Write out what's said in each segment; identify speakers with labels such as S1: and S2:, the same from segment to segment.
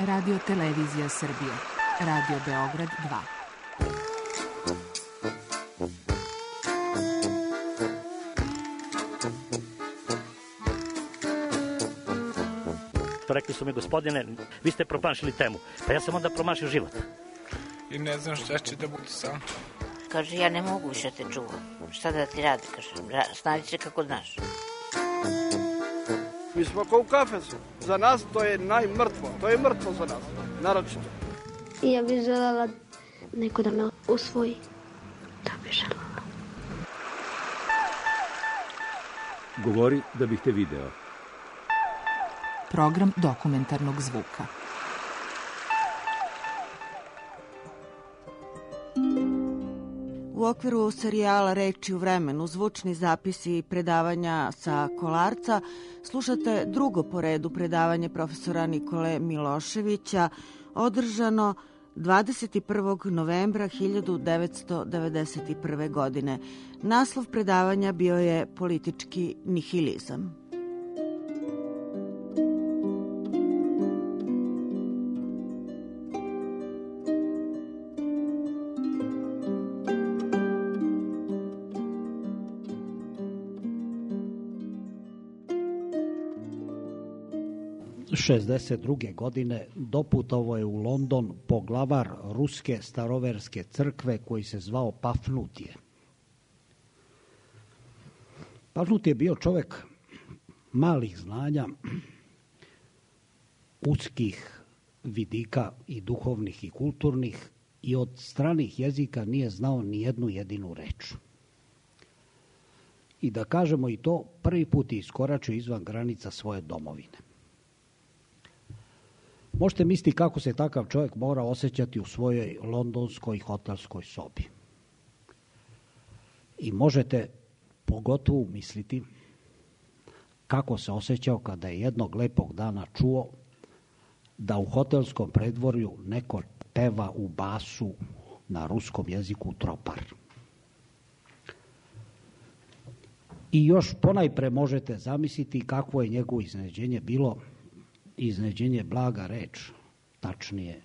S1: Radio Televizija Srbije. Radio Beograd 2.
S2: Rekli su mi, gospodine, vi ste promašili temu. Pa ja sam onda promašio život.
S3: I ne znam šta će da bude sam.
S4: Kaže, ja ne mogu više te čuvam. Šta da ti radi, kaže, snađi se kako znaš.
S5: Mi smo kao u kafesu. Za nas to je najmrtvo. To je mrtvo za nas, naročito.
S6: I ja bih želela neko da me usvoji. Da bih želela.
S7: Govori da bih te video.
S1: Program dokumentarnog zvuka.
S8: U okviru serijala Reči u vremenu, zvučni zapisi i predavanja sa Kolarca, slušate drugo po redu predavanje profesora Nikole Miloševića, održano 21. novembra 1991. godine. Naslov predavanja bio je Politički nihilizam.
S9: Godine doputovao je u London poglavar ruske staroverske crkve koji se zvao Pafnutije. Pafnutije je bio čovjek malih znanja, uskih vidika i duhovnih i kulturnih i od stranih jezika nije znao ni jednu jedinu reč. I da kažemo i to, prvi put je iskoračio izvan granica svoje domovine. Možete misliti kako se takav čovjek mora osjećati u svojoj londonskoj hotelskoj sobi. I možete pogotovo misliti kako se osjećao kada je jednog lepog dana čuo da u hotelskom predvorju neko peva u basu na ruskom jeziku tropar. I još ponajpre možete zamisliti kakvo je njegovo iznenađenje bilo. Iznenađenje blaga reč, tačnije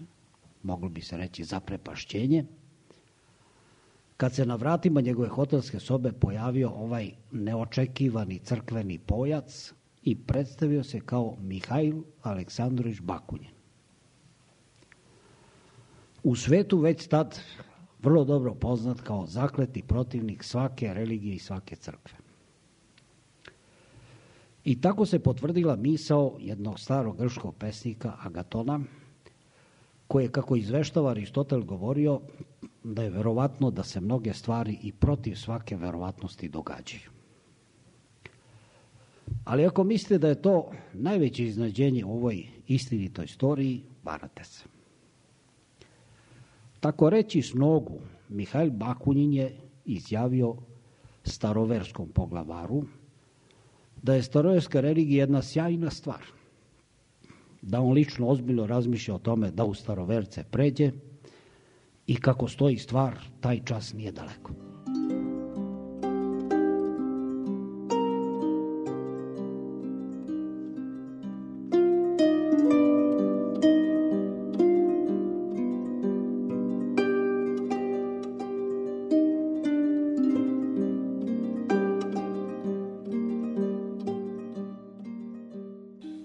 S9: moglo bi se reći zaprepašćenje, kad se na vratima njegove hotelske sobe pojavio ovaj neočekivani crkveni pojac i predstavio se kao Mihajl Aleksandrović Bakunin. U svetu već tad vrlo dobro poznat kao zakleti protivnik svake religije i svake crkve. I tako se potvrdila misao jednog starog grčkog pesnika Agatona, koji je, kako izveštava Aristotel, govorio da je verovatno da se mnoge stvari i protiv svake verovatnosti događaju. Ali ako mislite da je to najveće iznenađenje u ovoj istinitoj istoriji, varate se. Tako reći s nogu, Mihajl Bakunin je izjavio staroverskom poglavaru da je staroverska religija jedna sjajna stvar, da on lično ozbiljno razmišlja o tome da u staroverce pređe i kako stoji stvar, taj čas nije daleko.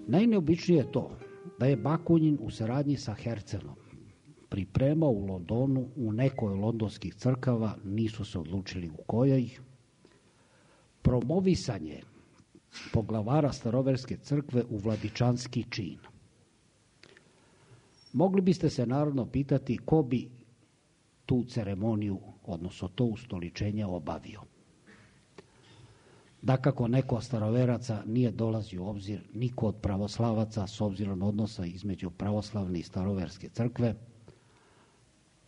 S9: Najneobičnije je to da je Bakunin u saradnji sa Hercenom pripremao u Londonu u nekoj londonskih crkava, nisu se odlučili u kojoj, promovisanje poglavara staroverske crkve u vladičanski čin. Mogli biste se naravno pitati ko bi tu ceremoniju, odnosno to ustoličenje obavio. Dakako, neko od staroveraca nije dolazio u obzir, niko od pravoslavaca s obzirom odnosa između pravoslavne i staroverske crkve,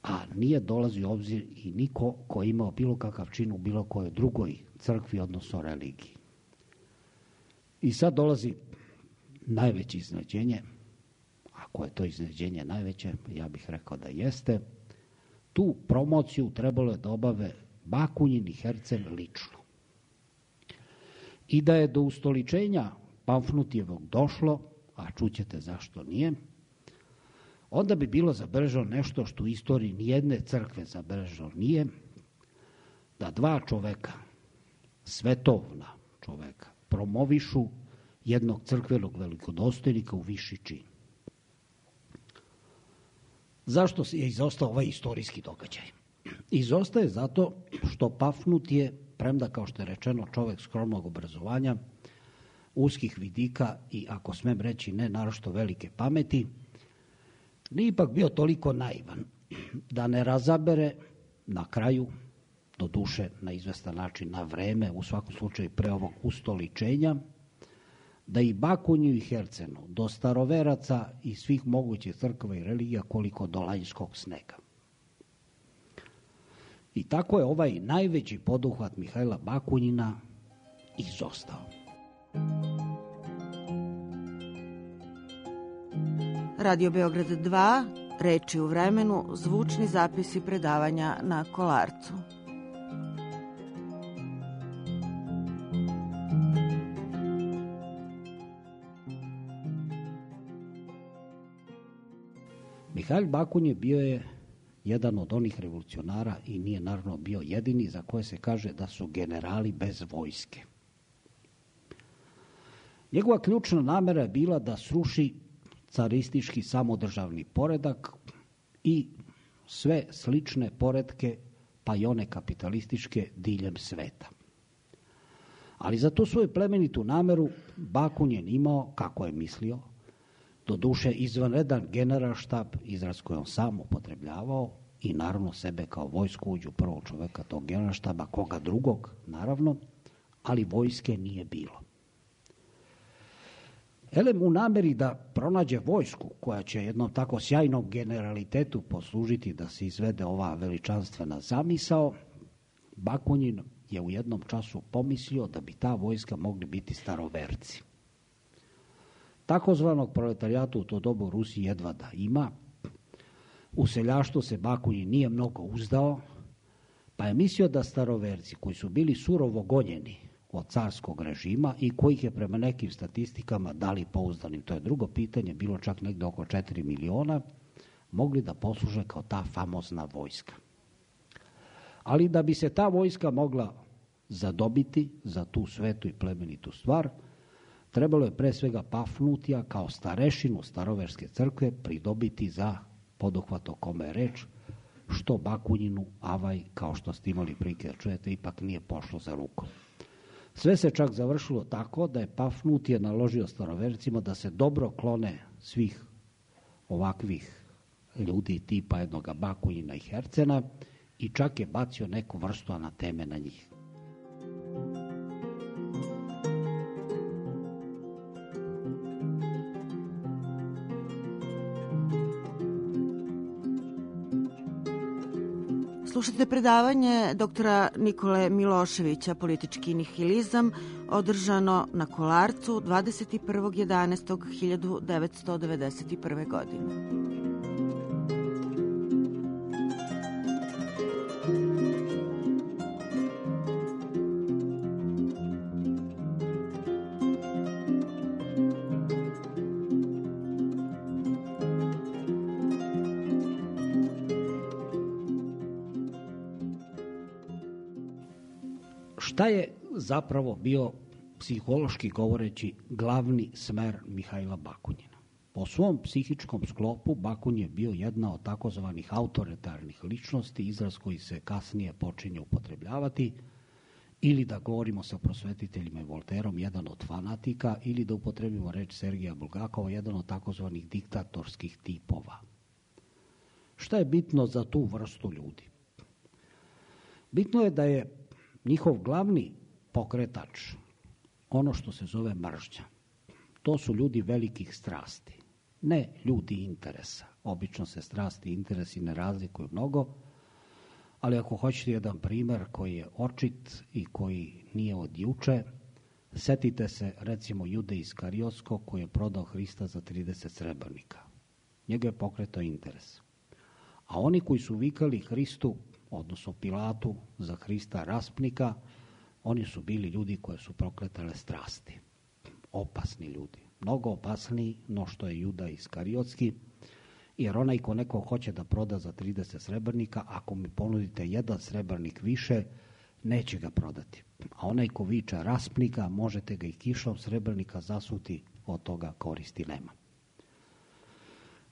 S9: a nije dolazio u obzir i niko ko je imao bilo kakav čin u bilo kojoj drugoj crkvi, odnosno religiji. I sad dolazi najveće iznenađenje, ako je to iznenađenje najveće, ja bih rekao da jeste, tu promociju trebalo je da obave Bakunin i Herceg lično. I da je do ustoličenja Pamfnutijevog došlo, a čućete zašto nije, onda bi bilo zabeleženo nešto što u istoriji nijedne crkve zabeleženo nije, da dva čoveka, svetovna čoveka, promovišu jednog crkvenog velikodostojnika u viši čin. Zašto je izostao ovaj istorijski događaj? Izostaje zato što Pafnut je, premda kao što je rečeno čovek skromnog obrazovanja, uskih vidika i, ako smem reći, ne naročito velike pameti, nije ipak bio toliko naivan da ne razabere na kraju, do duše na izvestan način, na vreme, u svakom slučaju pre ovog ustoličenja, da i Bakunju i Hercenu, do staroveraca i svih mogućih crkava i religija koliko do lanjskog snega. I tako je ovaj najveći poduhvat Mihajla Bakunjina izostao.
S8: Radio Beograd 2, reči u vremenu, zvučni zapisi predavanja na Kolarcu.
S9: Mihajl Bakunje bio je jedan od onih revolucionara i nije naravno bio jedini za koje se kaže da su generali bez vojske. Njegova ključna namera je bila da sruši caristički samodržavni poredak i sve slične poretke, pa i one kapitalističke, diljem sveta. Ali za tu svoju plemenitu nameru Bakun je imao, kako je mislio, do duše izvanredan generalštab, izraz koji on sam upotrebljavao, i naravno sebe kao vojskovođu prvog čoveka tog generalštaba, koga drugog, naravno, ali vojske nije bilo. Elem u nameri da pronađe vojsku koja će jednom tako sjajnom generalitetu poslužiti da se izvede ova veličanstvena zamisao, Bakunjin je u jednom času pomislio da bi ta vojska mogli biti staroverci. Takozvanog proletarijata u to dobu u Rusiji jedva da ima. U seljaštvu se Bakunjin nije mnogo uzdao, pa je mislio da staroverci koji su bili surovo gonjeni od carskog režima i kojih je prema nekim statistikama, da li pouzdanim, to je drugo pitanje, bilo čak negde oko 4 miliona, mogli da posluže kao ta famozna vojska. Ali da bi se ta vojska mogla zadobiti za tu svetu i plemenitu stvar, trebalo je pre svega Pafnutija kao starešinu staroverske crkve pridobiti za poduhvat o kome je reč, što Bakunjinu, avaj, kao što ste imali prilike da čujete, ipak nije pošlo za rukom. Sve se čak završilo tako da je Pafnutije naložio starovercima da se dobro klone svih ovakvih ljudi tipa jednoga Bakunjina i Hercena i čak je bacio neku vrstu anateme na njih.
S8: Slušate predavanje doktora Nikole Miloševića, politički nihilizam, održano na Kolarcu 21.11.1991. godine.
S9: Šta je zapravo bio, psihološki govoreći, glavni smer Mihajla Bakunjina? Po svom psihičkom sklopu Bakunj je bio jedna od takozvanih autoritarnih ličnosti, izraz koji se kasnije počinje upotrebljavati, ili da govorimo sa prosvetiteljima i Volterom, jedan od fanatika, ili da upotrebimo reč Sergija Bulgakova, jedan od takozvanih diktatorskih tipova. Šta je bitno za tu vrstu ljudi? Bitno je da je njihov glavni pokretač ono što se zove mržnja. To su ljudi velikih strasti, ne ljudi interesa. Obično se strasti i interesi ne razlikuju mnogo, ali ako hoćete jedan primer koji je očit i koji nije od juče, setite se recimo Jude Iskariotskog koji je prodao Hrista za 30 srebrnika. Njega je pokretao interes. A oni koji su vikali Hristu, odnosno Pilatu, za Hrista raspnika, oni su bili ljudi koje su prokletale strasti. Opasni ljudi. Mnogo opasniji no što je Juda Iskariotski, jer onaj ko neko hoće da proda za 30 srebrnika, ako mi ponudite 1 srebrnik više, neće ga prodati. A onaj ko viča raspnika, možete ga i kišom srebrnika zasuti, od toga koristi nema.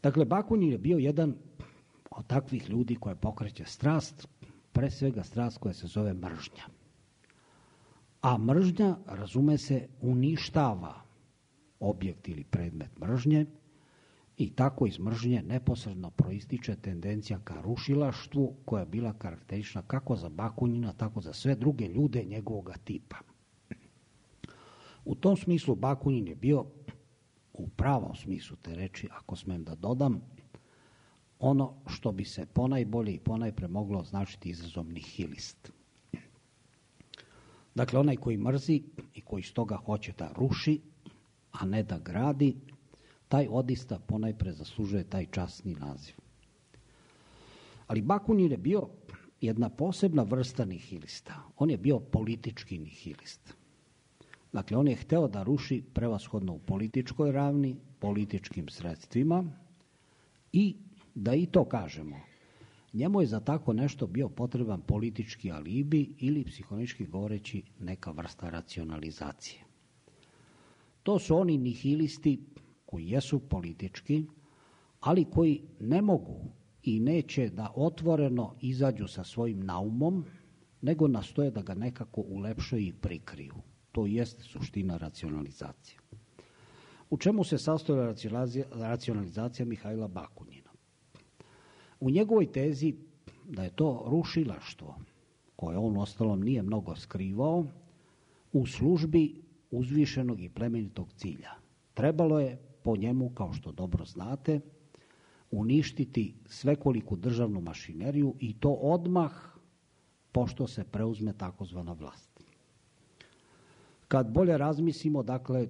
S9: Dakle, Bakunin je bio jedan od takvih ljudi koja pokreće strast, pre svega strast koja se zove mržnja. A mržnja, razume se, uništava objekt ili predmet mržnje i tako iz mržnje neposredno proističe tendencija ka rušilaštvu koja je bila karakteristična kako za Bakunina, tako za sve druge ljude njegovog tipa. U tom smislu Bakunin je bio, u pravom smislu te reči, ako smem da dodam, ono što bi se ponajbolje i ponajpre moglo označiti izrazom nihilist. Dakle, onaj koji mrzi i koji stoga hoće da ruši, a ne da gradi, taj odista ponajpre zaslužuje taj časni naziv. Ali Bakunin je bio jedna posebna vrsta nihilista. On je bio politički nihilist. Dakle, on je hteo da ruši prevashodno u političkoj ravni, političkim sredstvima i, da i to kažemo, njemu je za tako nešto bio potreban politički alibi ili, psihološki govoreći, neka vrsta racionalizacije. To su oni nihilisti koji jesu politički, ali koji ne mogu i neće da otvoreno izađu sa svojim naumom, nego nastoje da ga nekako ulepšaju i prikriju. To jeste suština racionalizacije. U čemu se sastoji racionalizacija Mihajla Bakunina? U njegovoj tezi da je to rušilaštvo, koje on ostalom nije mnogo skrivao, u službi uzvišenog i plemenitog cilja. Trebalo je po njemu, kao što dobro znate, uništiti svekoliku državnu mašineriju i to odmah pošto se preuzme takozvana vlast. Kad bolje razmislimo, dakle,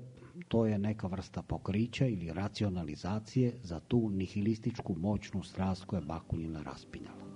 S9: to je neka vrsta pokrića ili racionalizacije za tu nihilističku moćnu strast koja je Bakunina raspinjala.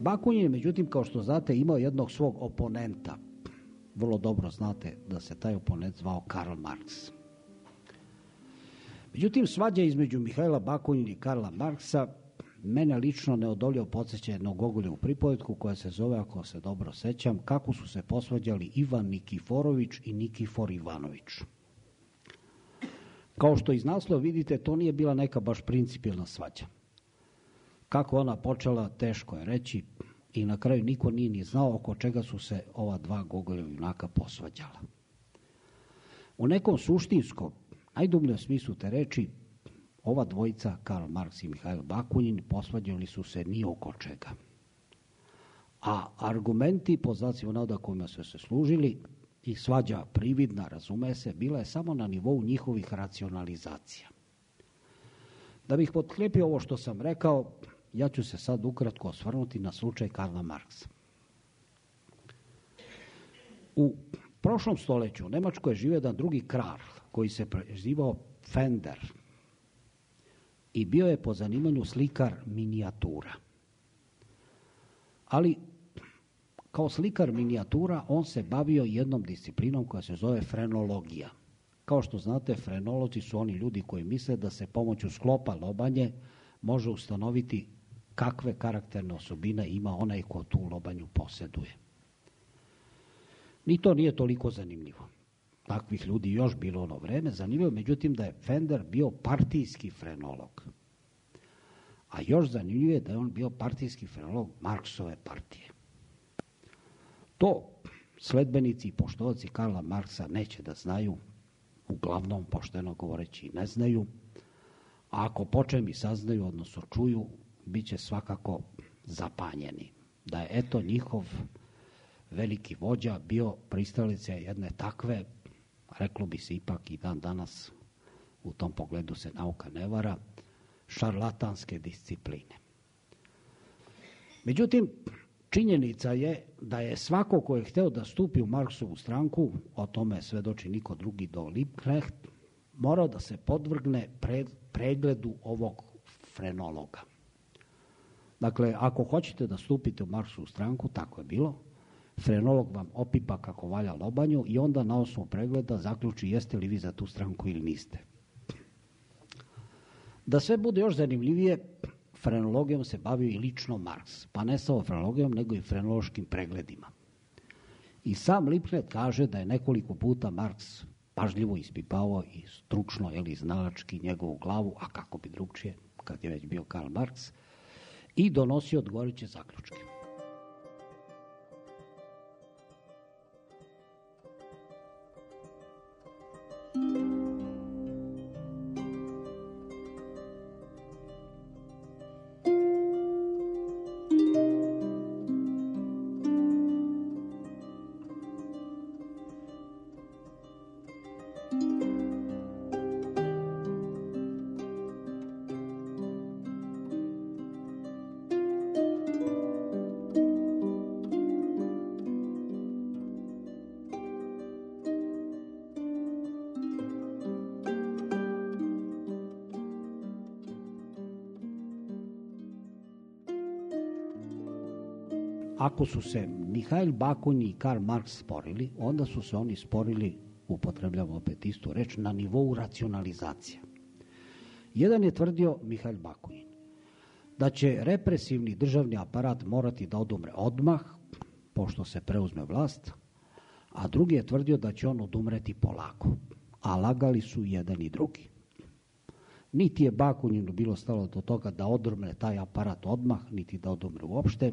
S9: Bakunin je, međutim, kao što znate, imao jednog svog oponenta. Vrlo dobro znate da se taj oponent zvao Karl Marx. Međutim, svađa između Mihajla Bakunina i Karla Marksa mene lično neodoljivo podsjeća jednog Gogoljevu pripovetku koja se zove, ako se dobro sećam, Kako su se posvađali Ivan Nikiforović i Nikifor Ivanović. Kao što iz naslova vidite, to nije bila neka baš principijelna svađa. Kako ona počela, teško je reći i na kraju niko nije ni znao oko čega su se ova dva Gogoljeva junaka posvađala. U nekom suštinskom, najdubljem smislu te reči, ova dvojica, Karl Marx i Mihajlo Bakunin, posvađali su se ni oko čega. A argumenti, po znacima navoda kojima su se služili, i svađa prividna, razume se, bila je samo na nivou njihovih racionalizacija. Da bih potkrijepio ovo što sam rekao, ja ću se sad ukratko osvrnuti na slučaj Karla Marksa. U prošlom stoljeću u Nemačkoj je živio jedan drugi kralj koji se prezivao Fender i bio je po zanimanju slikar minijatura. Ali kao slikar minijatura on se bavio jednom disciplinom koja se zove frenologija. Kao što znate, frenolozi su oni ljudi koji misle da se pomoću sklopa lobanje može ustanoviti kakve karakterne osobine ima onaj ko tu lobanju posjeduje. Ni to nije toliko zanimljivo. Takvih ljudi još bilo ono vreme. Zanimljivo, međutim, da je Fender bio partijski frenolog. A još zanimljivo je da je on bio partijski frenolog Marksove partije. To sledbenici i poštovaci Karla Marksa neće da znaju, uglavnom, pošteno govoreći, ne znaju, ako počemi saznaju, odnosno čuju, bit će svakako zapanjeni. Da je eto njihov veliki vođa bio pristalica jedne takve, reklo bi se ipak i dan danas, u tom pogledu se nauka ne vara, šarlatanske discipline. Međutim, činjenica je da je svako ko je hteo da stupi u Marksovu stranku, o tome svedoči niko drugi do Liebknecht, morao da se podvrgne pregledu ovog frenologa. Dakle, ako hoćete da stupite u Marksovu stranku, tako je bilo, frenolog vam opipa kako valja lobanju i onda na osnovu pregleda zaključi jeste li vi za tu stranku ili niste. Da sve bude još zanimljivije, frenologijom se bavio i lično Marks, pa ne samo frenologijom, nego i frenološkim pregledima. I sam Liebknecht kaže da je nekoliko puta Marks pažljivo ispipavao i stručno, znalački njegovu glavu, a kako bi drugčije, kad je već bio Karl Marks, i donosio odgovarajuće zaključke. Ako su se Mihail Bakunin i Karl Marx sporili, onda su se oni sporili, upotrebljamo opet istu reč, na nivou racionalizacije. Jedan je tvrdio, Mihail Bakunin, da će represivni državni aparat morati da odumre odmah, pošto se preuzme vlast, a drugi je tvrdio da će on odumreti polako, a lagali su jedan i drugi. Niti je Bakuninu bilo stalo do toga da odumre taj aparat odmah, niti da odumre uopšte,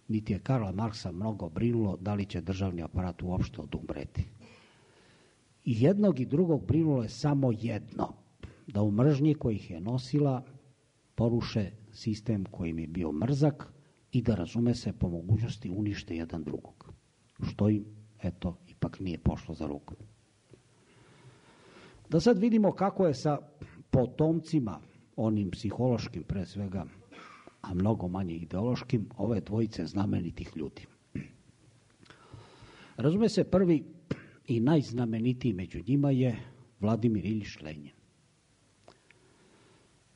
S9: niti je Karla Marksa mnogo brinulo da li će državni aparat uopšte odumreti. I jednog i drugog brinulo je samo jedno, da u mržnji koji ih je nosila poruše sistem koji im je bio mrzak i da, razume se, po mogućnosti unište jedan drugog. Što im, eto, ipak nije pošlo za rukom. Da sad vidimo kako je sa potomcima, onim psihološkim pre svega, a mnogo manje ideološkim, ove dvojice znamenitih ljudi. Razume se, prvi i najznamenitiji među njima je Vladimir Iljič Lenjin.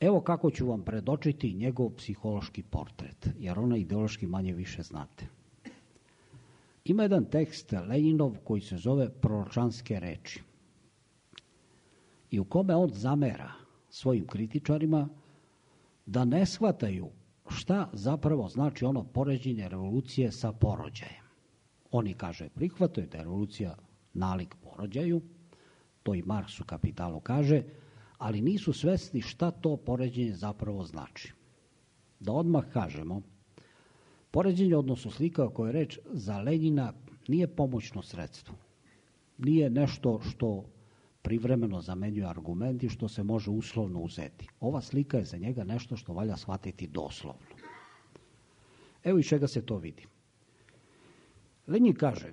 S9: Evo kako ću vam predočiti njegov psihološki portret, jer ona ideološki manje više znate. Ima jedan tekst Lenjinov koji se zove Proročanske reči i u kome on zamera svojim kritičarima da ne shvataju šta zapravo znači ono poređenje revolucije sa porođajem. Oni, kaže, prihvataju da je revolucija nalik porođaju, to i Marks u Kapitalu kaže, ali nisu svesni šta to poređenje zapravo znači. Da odmah kažemo, poređenje, odnosno slika o kojoj je reč, za Lenjina nije pomoćno sredstvo. Nije nešto što privremeno zamenjuje argumenti, što se može uslovno uzeti. Ova slika je za njega nešto što valja shvatiti doslovno. Evo iz čega se to vidi. Lenjin kaže,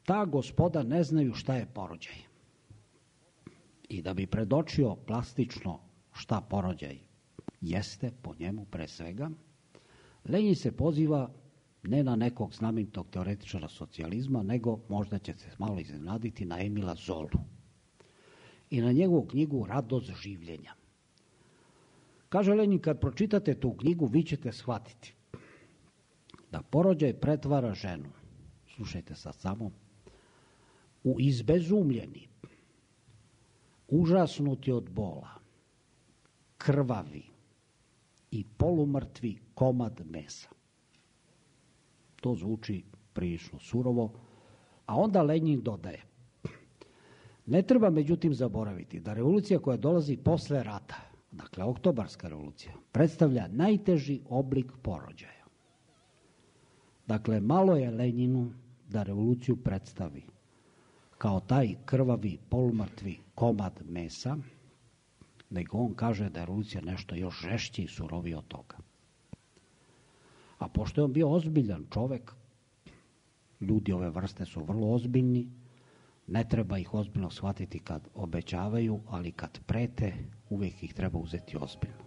S9: ta gospoda ne znaju šta je porođaj. I da bi predočio plastično šta porođaj jeste, po njemu pre svega, Lenjin se poziva ne na nekog znamenitog teoretičara socijalizma, nego, možda će se malo iznenaditi, na Emila Zolu i na njegovu knjigu Radost življenja. Kaže Lenjin, kad pročitate tu knjigu, vi ćete shvatiti da porođaj pretvara ženu, slušajte sad samo, u izbezumljeni, užasnuti od bola, krvavi i polumrtvi komad mesa. To zvuči prilično surovo, a onda Lenjin dodaje, ne treba međutim zaboraviti da revolucija koja dolazi posle rata, dakle oktobarska revolucija, predstavlja najteži oblik porođaja. Dakle, malo je Lenjinu da revoluciju predstavi kao taj krvavi, polumrtvi komad mesa, nego on kaže da je revolucija nešto još žešće i surovije od toga. A pošto je on bio ozbiljan čovek, ljudi ove vrste su vrlo ozbiljni, ne treba ih ozbiljno shvatiti kad obećavaju, ali kad prete, uvijek ih treba uzeti ozbiljno.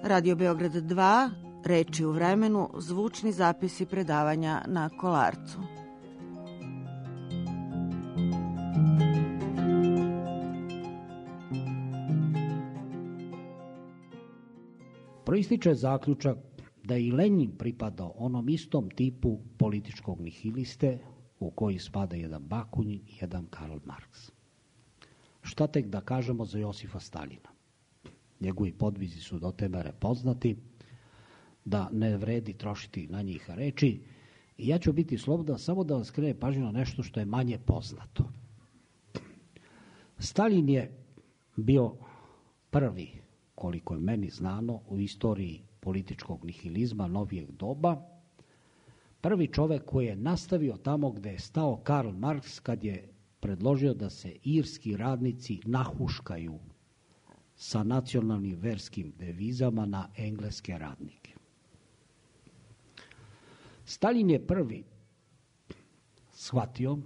S8: Radio Beograd 2, reči u vremenu, zvučni zapisi predavanja na Kolarcu.
S9: Proističe zaključak da je i Lenin pripadao onom istom tipu političkog nihiliste u koji spada jedan Bakunin i jedan Karl Marx. Šta tek da kažemo za Josifa Staljina? Njegovi podvizi su do te mere poznati da ne vredi trošiti na njih reči i ja ću biti slobodan samo da vam skrene pažnju na nešto što je manje poznato. Staljin je bio prvi, koliko je meni znano, u istoriji političkog nihilizma novijeg doba, prvi čovek koji je nastavio tamo gde je stao Karl Marx kad je predložio da se irski radnici nahuškaju sa nacionalnim verskim devizama na engleske radnike. Stalin je prvi shvatio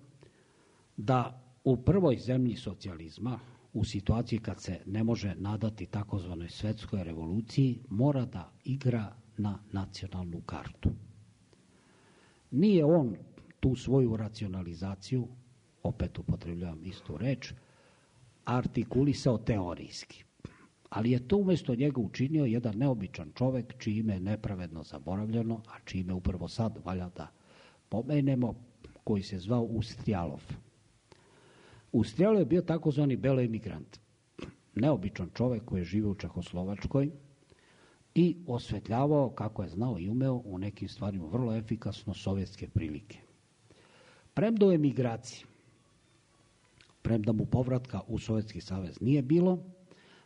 S9: da u prvoj zemlji socijalizma, u situaciji kad se ne može nadati takozvanoj svetskoj revoluciji, mora da igra na nacionalnu kartu. Nije on tu svoju racionalizaciju, opet upotrebljavam istu reč, artikulisao teorijski. Ali je to umjesto njega učinio jedan neobičan čovek čije ime je nepravedno zaboravljeno, a čije ime upravo sad valja da pomenemo, koji se zvao Ustrijalov. Ustrijalov je bio takozvani belo emigrant, neobičan čovek koji je živio u Čehoslovačkoj i osvetljavao, kako je znao i umeo, u nekim stvarima vrlo efikasno sovjetske prilike. Premda u emigraciji, premda mu povratka u Sovjetski savez nije bilo,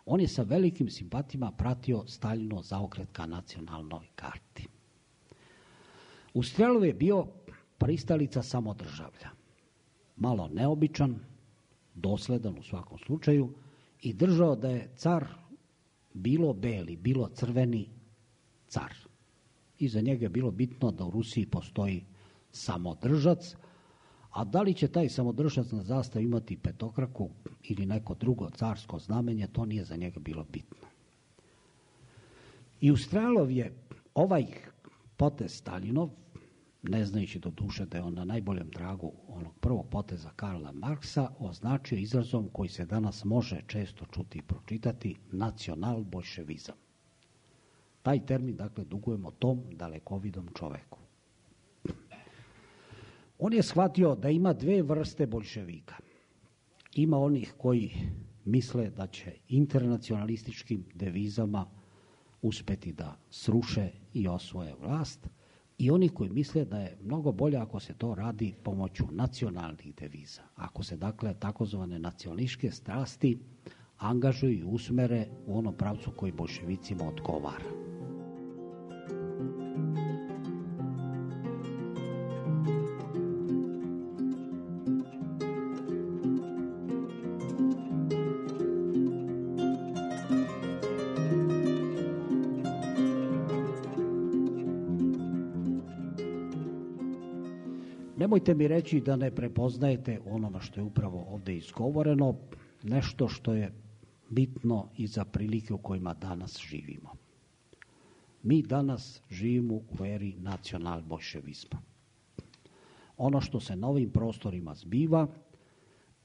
S9: on je sa velikim simpatijama pratio Staljino zaokret ka nacionalnoj karti. Ustrijalov je bio pristalica samodržavlja. Malo neobičan, dosledan u svakom slučaju i držao da je car bilo beli, bilo crveni car. I za njega je bilo bitno da u Rusiji postoji samodržac, a da li će taj samodržac na zastavi imati petokraku ili neko drugo carsko znamenje, to nije za njega bilo bitno. I Ustrijalov je ovaj potez Staljinov, ne znajući do duše da je on na najboljem tragu onog prvog poteza Karla Marksa, označio izrazom koji se danas može često čuti i pročitati, nacional-bolševizam. Taj termin, dakle, dugujemo tom dalekovidom čoveku. On je shvatio da ima dve vrste boljševika. Ima onih koji misle da će internacionalističkim devizama uspeti da sruše i osvoje vlast, i oni koji misle da je mnogo bolje ako se to radi pomoću nacionalnih deviza. Ako se, dakle, takozvane nacionalističke strasti angažuju i usmere u onom pravcu koji boljševicima odgovara. Nemojte mi reći da ne prepoznajete onome što je upravo ovdje izgovoreno, nešto što je bitno i za prilike u kojima danas živimo. Mi danas živimo u eri nacional-bolševizma. Ono što se na ovim prostorima zbiva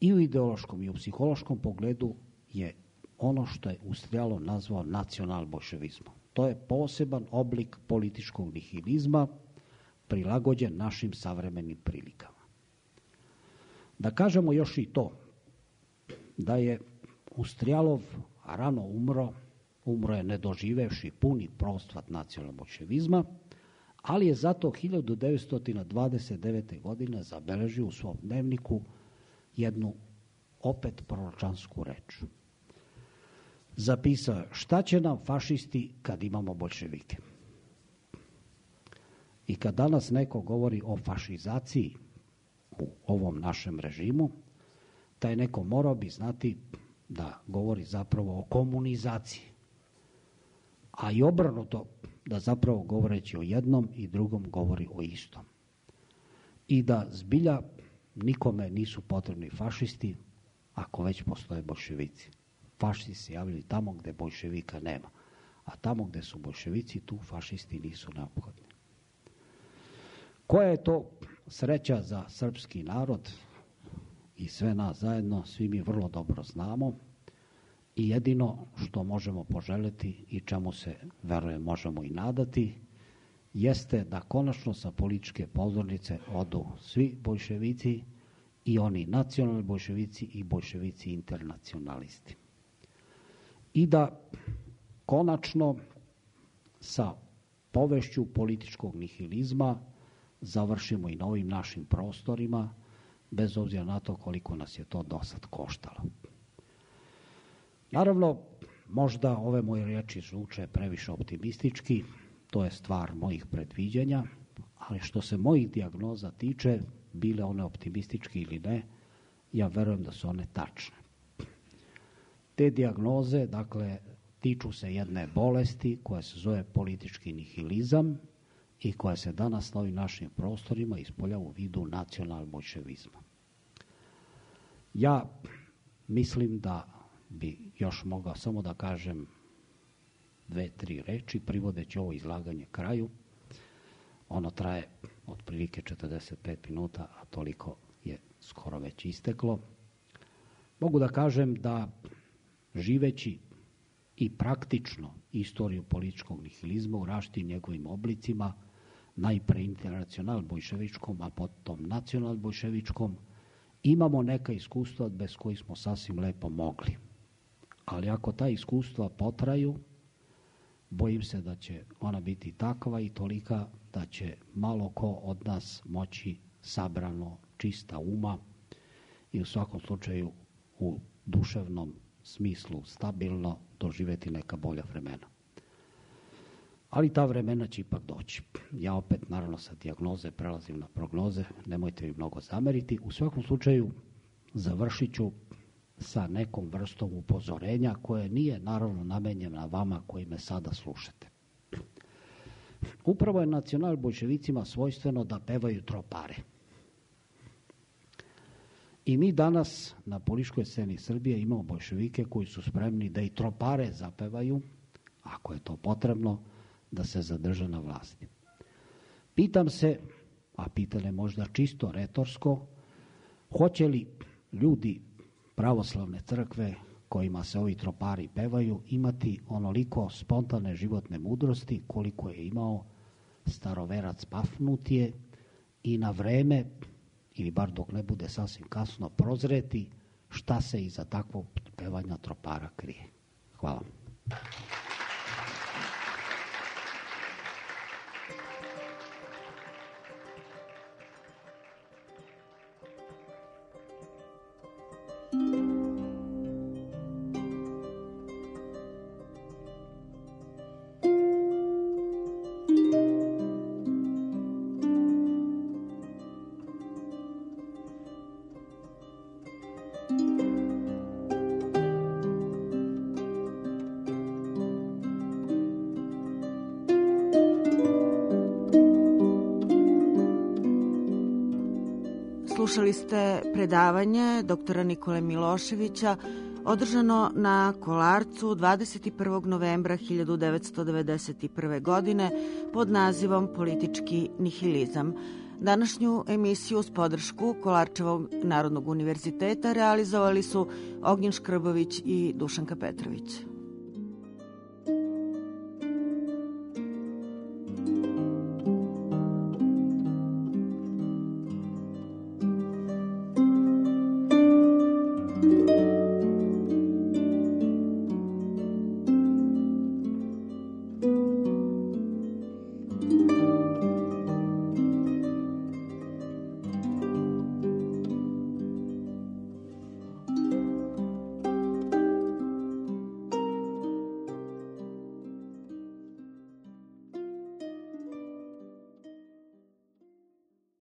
S9: i u ideološkom i u psihološkom pogledu je ono što je Ustrijalov nazvao nacional-bolševizmom. To je poseban oblik političkog nihilizma prilagođen našim savremenim prilikama. Da kažemo još i to, da je Ustrijalov rano umro je ne doživevši puni procvat nacionalbolševizma, ali je zato 1929. godine zabeležio u svom dnevniku jednu opet proročansku reč. Zapisao je: šta će nam fašisti kad imamo boljševike? I kad danas neko govori o fašizaciji, u ovom našem režimu, taj neko morao bi znati da govori zapravo o komunizaciji. A i obrnuto, da zapravo govoreći o jednom i drugom govori o istom. I da zbilja nikome nisu potrebni fašisti ako već postoje boljševici. Fašisti se javljaju tamo gde boljševika nema. A tamo gde su boljševici, tu fašisti nisu neophodni. Koja je to sreća za srpski narod i sve nas zajedno, svi mi vrlo dobro znamo i jedino što možemo poželjeti i čemu se, verujem, možemo i nadati, jeste da konačno sa političke pozornice odu svi boljševici i oni nacionalni boljševici i boljševici internacionalisti. I da konačno sa povešću političkog nihilizma završimo i na ovim našim prostorima, bez obzira na to koliko nas je to dosad koštalo. Naravno, možda ove moje riječi zvuče previše optimistički, to je stvar mojih predviđanja, ali što se mojih dijagnoza tiče, bile one optimistički ili ne, ja verujem da su one tačne. Te dijagnoze, dakle, tiču se jedne bolesti koja se zove politički nihilizam i koja se danas na ovim našim prostorima ispoljava u vidu nacional-boljševizma. Ja mislim da bi još mogao samo da kažem 2-3 reči, privodeći ovo izlaganje kraju. Ono traje otprilike 45 minuta, a toliko je skoro već isteklo. Mogu da kažem da živeći i praktično istoriju političkog nihilizma u različitim njegovim oblicima, najpre internacional-boljševičkom, a potom nacional-boljševičkom, imamo neka iskustva bez kojih smo sasvim lepo mogli. Ali ako ta iskustva potraju, bojim se da će ona biti takva i tolika da će malo ko od nas moći sabrano, čista uma i u svakom slučaju u duševnom smislu stabilno doživjeti neka bolja vremena. Ali ta vremena će ipak doći. Ja opet, naravno, sa dijagnoze prelazim na prognoze, nemojte mi mnogo zameriti. U svakom slučaju završit ću sa nekom vrstom upozorenja koje nije, naravno, namenjena vama koji me sada slušate. Upravo je nacional-boljševicima svojstveno da pevaju tropare. I mi danas na političkoj sceni Srbije imamo boljševike koji su spremni da i tropare zapevaju, ako je to potrebno, da se zadrže na vlasti. Pitam se, a pitanje možda čisto retorsko, hoće li ljudi pravoslavne crkve kojima se ovi tropari pevaju imati onoliko spontane životne mudrosti koliko je imao staroverac Pafnutije i na vreme, ili bar dok ne bude sasvim kasno, prozreti šta se iza takvog pevanja tropara krije. Hvala.
S8: Slušali ste predavanje doktora Nikole Miloševića održano na Kolarcu 21. novembra 1991. godine pod nazivom Politički nihilizam. Današnju emisiju uz podršku Kolarčevog Narodnog univerziteta realizovali su Ognjen Škrbović i Dušanka Petrović.